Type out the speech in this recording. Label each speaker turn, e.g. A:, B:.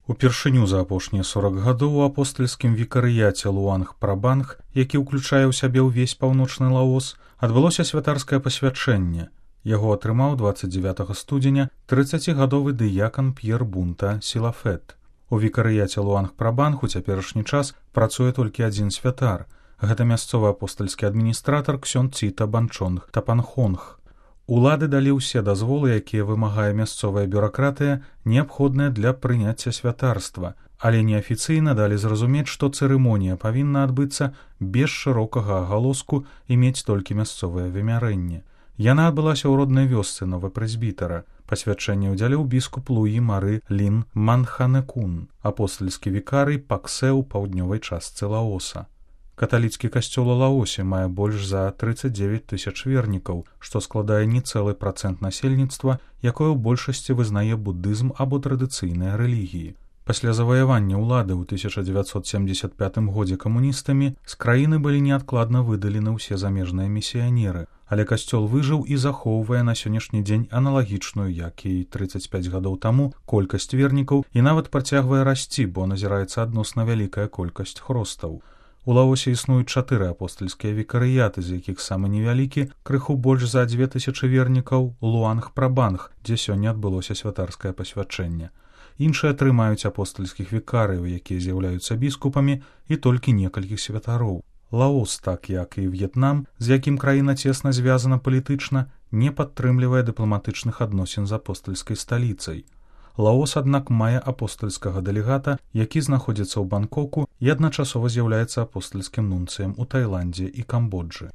A: Упершыню за апошнія 40 гадоў у апостальскім вікарыяце Луанг-Прабанг, які ўключае ў сябе ўвесь паўночны Лаос, адбылося святарскае пасвячэнне. Яго атрымаў 29 студзеня 30гадовы дыякан П'ер Бунта Сілафет. У вікарыяце Луанг-Прабанг у цяперашні час працуе толькі адзін святар. Гэта мясцовы апостальскі адміністратар ксёнд Ціта Банчонг Тапанхонг. Улады далі ўсе дазволы, якія вымагае мясцовая бюракратыя, неабходныя для прыняцця святарства, але неафіцыйна далі зразумець, што цырымонія павінна адбыцца без шырокага агалоску і мець толькі мясцовае вымярэнне. Яна адбылася ў роднай вёсцы новапрэзбітара. Пасвячэнне ўдзяліў біскуп Луі Мары Лін Манханекун, апостальскі вікарый Паксэ ў паўднёвай частцы Лаоса. Каталіцкі касцёл у Лаосе мае больш за 39 тысяч вернікаў, што складае нецэлы працэнт насельніцтва, якое ў большасці вызнае буддызм або традыцыйныя рэлігіі. Пасля заваявання ўлады ў 1975 годзе камуністамі з краіны былі неадкладна выдалены ўсе замежныя місіянеры, але касцёл выжыў і захоўвае на сённяшні дзень аналагічную, як і 35 гадоў таму, колькасць вернікаў і нават працягвае расці, бо назіраецца адносна вялікая колькасць хростаў. У Лаосе існуюць 4 апостальскія вікарыяты, з якіх самы невялікі, крыху больш за 2000 вернікаў, Луанг-Прабанг, дзе сёння адбылося святарскае пасвячэнне. Іншыя 3 маюць апостальскіх вікарыяў, якія з'яўляюцца біскупамі, і толькі некалькіх святароў. Лаос, так як і В'етнам, з якім краіна цесна звязана палітычна, не падтрымлівае дыпламатычных адносін з апостальскай сталіцай. Лаос, аднак, мае апостальскага дэлегата, які знаходзіцца ў Бангкоку і адначасова з'яўляецца апостальскім нунцыем у Тайландзе і Камбоджы.